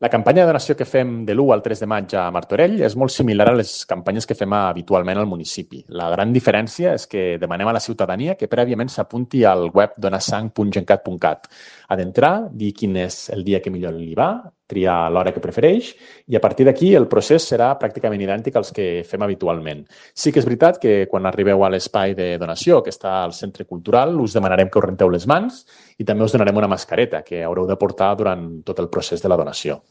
La campanya de donació que fem de l'1 al 3 de maig a Martorell és molt similar a les campanyes que fem habitualment al municipi. La gran diferència és que demanem a la ciutadania que prèviament s'apunti al web donasang.gencat.cat, a d'entrar, dir quin és el dia que millor li va, triar l'hora que prefereix i a partir d'aquí el procés serà pràcticament idèntic als que fem habitualment. Sí que és veritat que quan arribeu a l'espai de donació que està al Centre Cultural us demanarem que us renteu les mans i també us donarem una mascareta que haureu de portar durant tot el procés de la donació.